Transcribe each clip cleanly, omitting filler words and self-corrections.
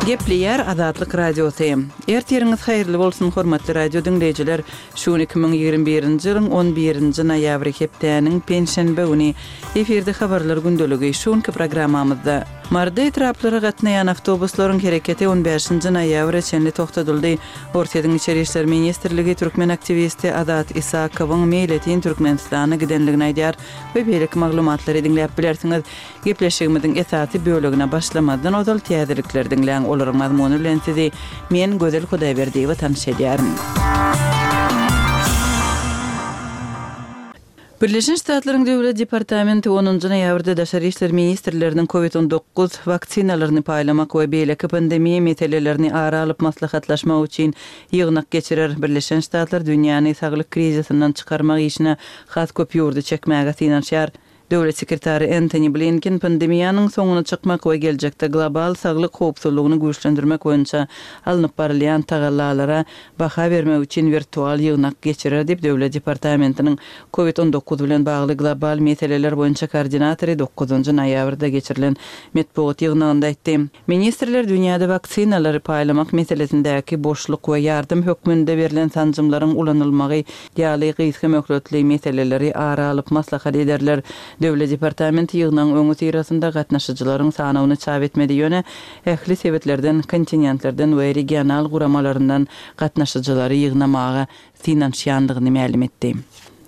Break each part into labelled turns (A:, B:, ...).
A: Gepleýär Azatlyk Radiosy. Ertiriňiz haýyrly bolsun, hormatly radio diňleýjiler! Şu gün 2021-nji ýylyň on birinji noýabry, hepdäniň penşenbe güni. Efirde Habarlar gündeligi. Şu günki programmamyzda. Maryda etraplara gatnaýan awtobuslaryň hereketi on bäşinji noýabra çenli togtadyldy. Orsýetiň Içeri işler ministrligi türkmen aktiwisti Azat Isakowyň meýletin Türkmenistana gidenligini aýdýar we beýleki maglumatlary diňläp bilersiňiz. Gepleşigimiziň esasy bölegine başlamazdan ozal täzelikleri diňläň, olaryň mazmuny bilen sizi men, Gözel Hudaýberdiýewa tanyş edýärin. Birleşen Ştatlaryň Döwlet departamenti onunjy noýabrda daşary işler ministrleriniň Covid 19 waksinalaryny paýlamak we beýleki pandemiýa meselelerini ara alyp maslahatlaşmak üçin ýygnak geçirer. Birleşen Ştatlar dünýäni saglyk krizisinden çykarmak işine has köp ýurdy çekmäge synanyşýar. Döwlet sekretary Entoni Blinken pandemiýanyň soňuna çykmak we geljekde global saglyk howpsuzlygyny güýçlendirmek boýunça alnyp barylýan tagallalara baha bermek üçin wirtual ýygnak geçirer diýip, Döwlet departamentiniň Covid 19 bilen bagly global meseleler boýunça koordinatory dokuzynjy noýabrda geçirilen metbugat ýygnagynda aýtdy. Ministrler dünýäde waksinalary paýlamak meselesindäki boşluk we ýardam hökmünde berlen sanjymlaryň ulanylmagy ýaly gysga möhletli meseleleri ara alyp maslahat ederler. Döwlet departamenti ýygnagyň öňüsyrasynda gatnaşyjylaryň sanawyny çap etmedi, ýöne ähli sebitlerden, kontinentlerden we regional guramalaryndan gatnaşyjylary ýygnamaga synanyşýandygyny mälim etdi.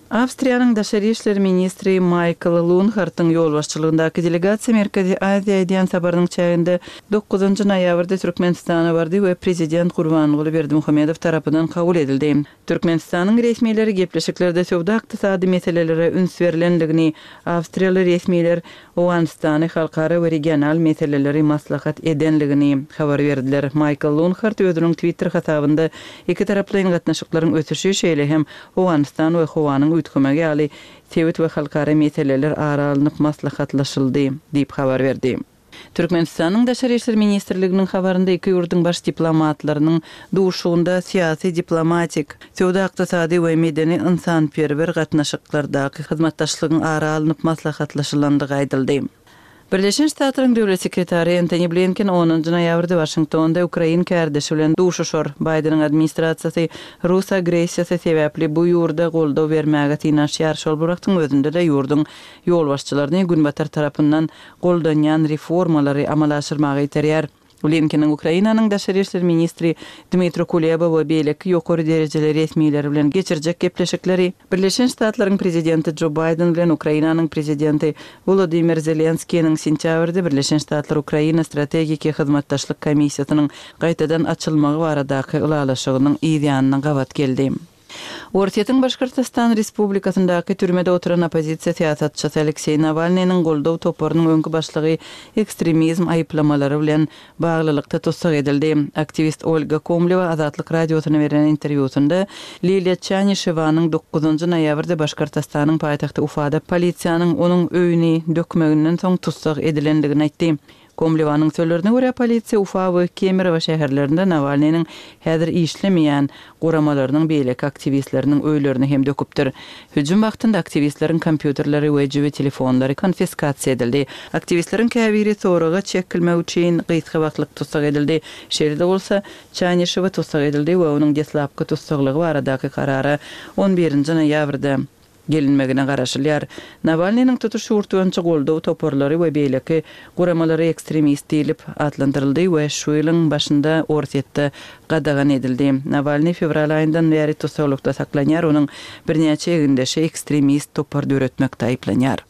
A: Awstriýanyň daşary işler ministri Maýkl Lunhartyň ýolbaşçylygyndaky delegasiýa Merkezi Aziýa edýän saparynyň çäginde dokuzynjy noýabrda Türkmenistana bardy we prezident Gurbanguly Berdimuhamedow tarapyndan kabul edildi. Türkmenistanyň resmileri gepleşiklerde söwda-ykdysady meselelere üns berlendigini, awstriýaly resmiler Owganystany halkara we regional meseleleri maslahat edenligini habar berdiler. Maýkl Lunhart özüniň Twitter hasabynda ikitaraplaýyn gatnaşyklaryň ösüşi, şeýle hem Owganystan we howanyň üýtgemegi ýaly sebit we halkara meseleler ara alnyp maslahatlaşyldy diýip habar berdi. Türkmenistanyň Daşary işler ministrliginiň habarynda iki ýurduň baş diplomatlarynyň duşuşygynda syýasy-diplomatik, söwda-ykdysady we medeni-ynsanperwer gatnaşyklardaky hyzmatdaşlygyň ara alnyp maslahatlaşylandygy aýdyldy. Birleşen Ştatlaryň Döwlet sekretary Entoni Blinken onunjy noýabrda Waşingtonda ukrain kärdeşi bilen duşuşar. Baýdeniň administrasiýasy rus agressiýasy sebäpli bu ýurda goldaw bermäge synanyşýar, şol bir wagtyň özünde-de ýurduň ýolbaşçylaryny Günbatar tarapyndan goldanýan reformalary amala aşyrmaga iterýär. Blinkeniň Ukrainanyň daşary işler ministri Dmitro Kuleba we beýleki ýokary derejeli resmileri bilen geçirjek gepleşikleri, Birleşen Ştatlaryň prezidenti Jo Baýden bilen Ukrainanyň prezidenti Wolodymyr Zelenskiniň sentýabrda Birleşen Ştatlar-Ukraina strategiki hyzmatdaşlyk komissiýasynyň gaýtadan açylmagy baradaky ylalaşygynyň yz ýanyna gabat geldi. Orsýetiň Başkortostan Respublikasyndaky türmede oturan oppozisiýa syýasatçysy Alekseý Nawalnynyň goldaw toparynyň öňki başlygy ekstremizm aýyplamalary bilen baglylykda tussag edildi. Aktiwist Olga Komlewa Azatlyk Radiosyna beren interwýusynda Liliýa Çanişewanyň dokuzynjy noýabrda Başkortostanyň paýtagty Ufada polisiýanyň onuň öýüni dökmeginden soň tussag edilendigini aýtdy. Komlewanyň sözlerine görä, polisiýa Ufa we Kemerowo şäherlerinde Nawalnynyň häzir işlemeýän guramalarynyň beýleki aktiwistleriniň öýlerini hem döküpdir. Hüjüm wagtynda aktiwistleriň kompýuterleri we jübi telefonlary konfiskasiýa edildi. Aktiwistleriň käbiri soraga çekilmek üçin gysga wagtlyk tussag edildi. Şeýle-de bolsa, Çanişewa tussag edildi we onuň deslapky tussaglygy baradaky karara on birinji noýabrda gelinmegine garaşylýar. Nawalnynyň tutuş ýurt boýunça goldaw toparlary we beýleki guramalary ekstremist diýlip atlandyryldy we şu ýylyň başynda Orsýetde gadagan edildi. Nawalnyý fewral aýyndan bäri tussaglykda saklanýar, onuň birnäçe egindeşi ekstremist topar döretmekde aýyplanýar.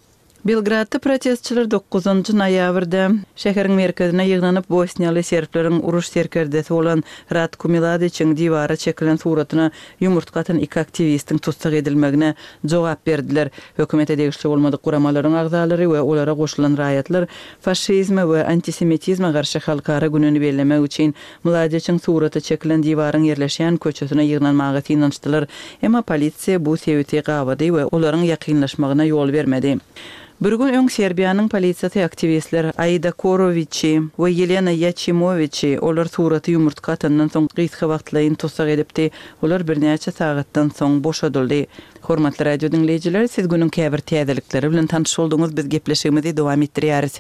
A: Belgradda protestçiler dokuzynjy noýabrda şäheriň merkezine ýygnanyp, bosniýaly serbleriň uruş serkerdesi bolan Ratko Miladiçiň diwara çekilen suratyna ýumurtga atan iki aktiwistiň tussag edilmegine jogap berdiler. Hökümete degişli bolmadyk guramalaryň agzalary we olara goşulan raýatlar faşizme we antisemitizme garşy halkara gününi bellemek üçin Mladiçiň suraty çekilen diwaryň ýerleşýän köçesine ýygnanmaga synanyşdylar, emma polisiýa bu sebiti gabady we olaryň ýakynlaşmagyna ýol bermedi. Bir gün öň Serbiýanyň polisiýasy aktiwistler Aida Korowiçi we Ýelena Ýaçimowiçi, olar suraty ýumurtga atandan soň gysga wagtlaýyn tussag edipdi. Olar birnäçe sagatdan soň boşadyldy. Hormatly radio diňleýjiler, siz günüň käbir täzelikleri bilen tanyş bolduňyz, biz gepleşigimizi dowam etdirýäris.